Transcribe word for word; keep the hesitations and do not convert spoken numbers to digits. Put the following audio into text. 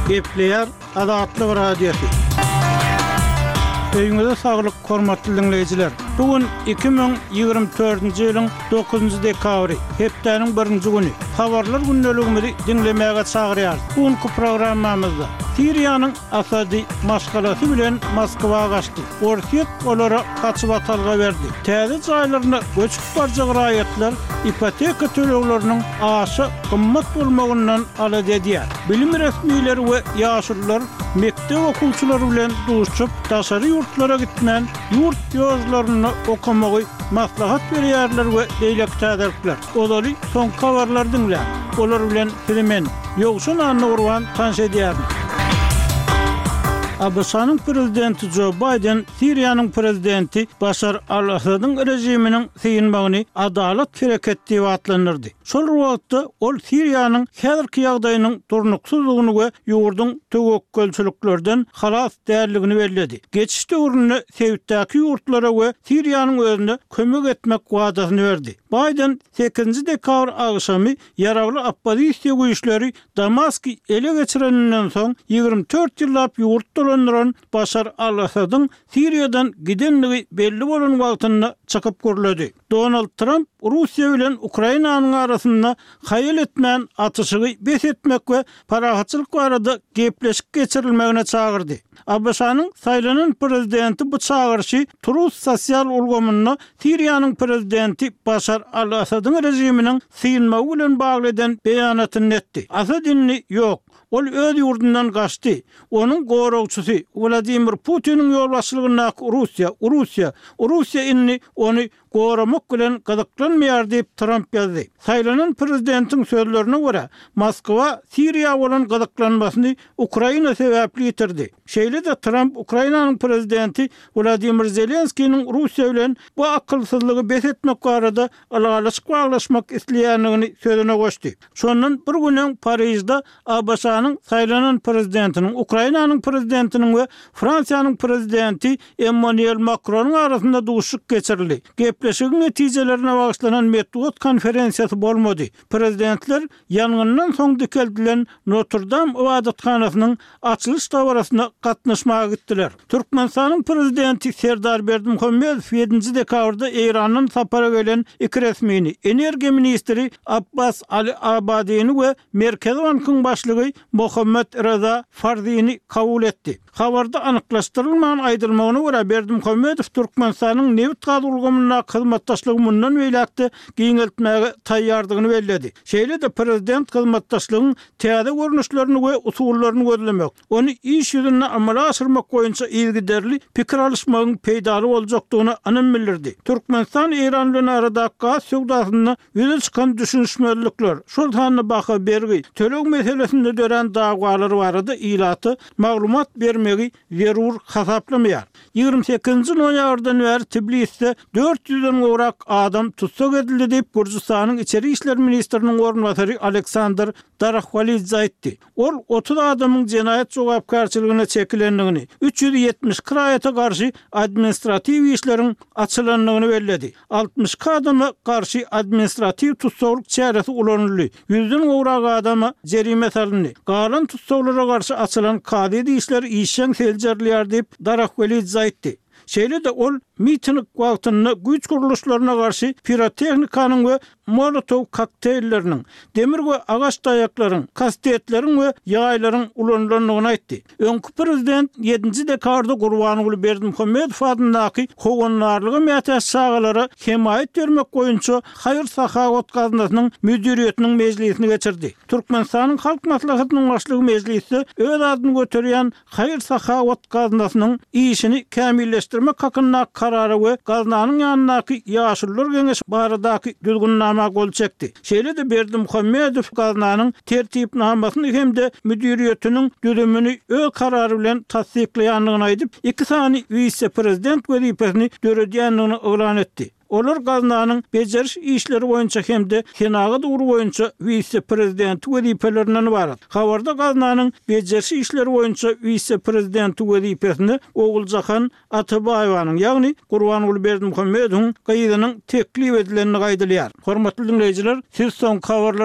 Gepleýär Azatlyk Radiosy. Öýüňize saglyk, hormatly diňleýjiler. Bu gün iki müň ýigrimi dördünji ýylyň dokuzynjy dekabry, hepdäniň birinji güni. Habarlar gündeligimizi diňlemäge çagyrýarys. Bu günki programmamyzda Siriýanyň Asady maşgalasy bilen Moskwa gaçdy. Orsýet olara gaçybatalga berdi. Täze jaýlaryna göçüp barjak raýatlar ipoteka tölegleriniň aşa gymmat bolmagyndan alada edýär. Bilim resmileri we ýaşulular mekdep okuwçylary bilen duşup, daşary ýurtlara gitmän, ýurt ýollarynda okamagy maslahat berýärler we beýleki täzelikler. Ozaly soňky habarlary diňläň. Olar bilen sizi men, Ýowşan Annagurban tanyş edýärin. ABŞ-nyň prezidenti Jo Baýden Siriýanyň prezidenti Başar al-Asadyň režiminiň synmagyny adalat hereket diýip atlandyrdy. Şol bir wagtda ol Siriýanyň häzirki ýagdaýynyň durnuksyzlygyny we ýurduň töwekgelçiliklerden halas däldigini belledi. Geçiş döwründe sebitdäki ýurtlara we Siriýanyň özüne kömek etmek wadasyny berdi. Baýden sekizinji dekabr agşamy ýaragly oppozisiýa güýçleri Damasky ele geçireninden soň ýigrimi dört ýyllap ýurt dolandyran Başar al-Asadyň Siriýadan gidendigi belli bolan wagtynda çykyp gürledi. Donald Tramp Russiýa bilen Ukrainanyň arasynda haýal etmän atyşygy bes etmek we parahatçylyk barada gepleşik geçirilmegine çagyrdy. ABŞ-nyň saýlanan prezidenti bu çagyryşy Truth sosial ulgamynda Siriýanyň prezidenti Başar al-Asadyň režiminiň synmagy bilen bagly eden beýanatynda etdi. Asad indi ýok. Ol öz ýurdundan gaçdy. Onuň goragçysy Wladimir Putiniň ýolbaşçylygyndaky Russiýa, Russiýa, Russiýa indi ony goramak bilen gyzyklanmaýar diýip, Tramp ýazdy. Saýlanan prezidentiň sözlerine görä, Moskwa Siriýa bolan gyzyklanmasyny Ukraina sebäpli ýitirdi. Şeýle-de Tramp Ukrainanyň prezidenti Wladimir Zelenskiniň Russiýa bilen bu akylsyzlygy bes etmek barada ylalaşyk baglaşmak isleýändigini sözüne goşdy. Şondan bir gün öň Parižde ABŞ-nyň saýlanan prezidentiniň, Ukrainanyň prezidentiniň we Fransiýanyň prezidenti Emmanuel Makronyň arasynda duşuşyk geçirildi. Gepleşigiň netijelerine bagyşlanan metbugat konferensiýasy bolmady. Prezidentler ýangyndan soň dikeldilen Notr-Dam ybadathanasynyň açylyş dabarasyna gatnaşmaga gitdiler. Türkmenistanyň Prezidenti Serdar Berdimuhamedow ýedinji dekabrda Eýrandan sapara gelen iki resmini, energiýa ministri Abbas Ali Abadini we Merkezi bankyň başlygy Mohammad Reza Farzini kabul etdi. Habarda anyklaşdyrylman aýdylmagyna görä, Berdimuhamedow Türkmenistanyň nebit-gaz ulgamyndaky hyzmatdaşlygy mundan beýläk-de giňeltmäge taýýardygyny belledi. Şeýle-de prezident hyzmatdaşlygyň täze görnüşlerini we usullaryny gözlemek, ony iş ýüzünde amala aşyrmak boýunça yzygiderli pikir alyşmagyň peýdaly boljakdygyna ynam bildirdi. Türkmenistan Eýran bilen aradaky gaz söwdasynda ýüze çykan düşünişmezlikler, şol sanda baha bergi, töleg meselesinde dörän dawalar barada ilata maglumat bermegi zerur hasaplamaýar. Ýigrimi sekizinji noýabrdan bäri Tbilisde dört ýüzden gowrak adam tussag edildi diýip, Gürjüstanyň içeri işler ministriniň orunbasary Aleksandr Darahwalidze aýtdy. Ol otuz adamyň jenaýat jogapkärçiligine çekilendigini, üç ýüz ýetmiş iki raýata garşy administratiw işleriň açylandygyny belledi. Altmyş iki adama garşy administratiw tussaglyk çäresi ulanyldy, ýüzden gowrak adama jerime salyndy. Galan tussaglara garşy açylan kazyýet işleri işjeň seljerilýär diýip, Darahwelidze aýtdy. Şeýle-de ol miting wagtynda güýç gurluşlaryna garşy pirotehnikanyň we molotow kokteýlleriniň, demir we agaç taýaklaryň, kastetleriň we ýaýlaryň ulanylandygyny aýtdy. Öňki prezident ýedinji dekabrda Gurbanguly Berdimuhamedow adyndaky howandarlyga mätäç çagalara hemaýat bermek boýunça haýyr-sahawat gaznasynyň müdiriýetiniň mejlisini geçirdi. Türkmenistanyň Halk Maslahatynyň Başlygy mejlisde öz adyny göterýän Haýyr-sahawat gaznasynyň işini kämilleşdirmek hakyndaky Karara we gaznanyň ýanyndaky Ýaşulular geňeşi baradaky Düzgünnama gol çekdi. Şeýle-de Berdimuhamedow gaznanyň Tertipnamasyny hem-de müdiriýetiniň düzümini öz Karary bilen tassyklaýandygyny aýdyp, iki sany wise-prezident wezipesini döredýändigini yglan etdi. Olar gaznanyň bejeriş işleri boýunça hem-de senagat ugry boýunça wise-prezidenti wezipelerinden ybarat. Habarda gaznanyň bejeriş işleri boýunça wise-prezidenti wezipesine Oguljahan Atabaýewanyň, ýagny Gurbanguly Berdimuhamedowyň gyzynyň teklip edilendigi aýdylýar. Hormatly diňleýjiler, siz soňky habarlar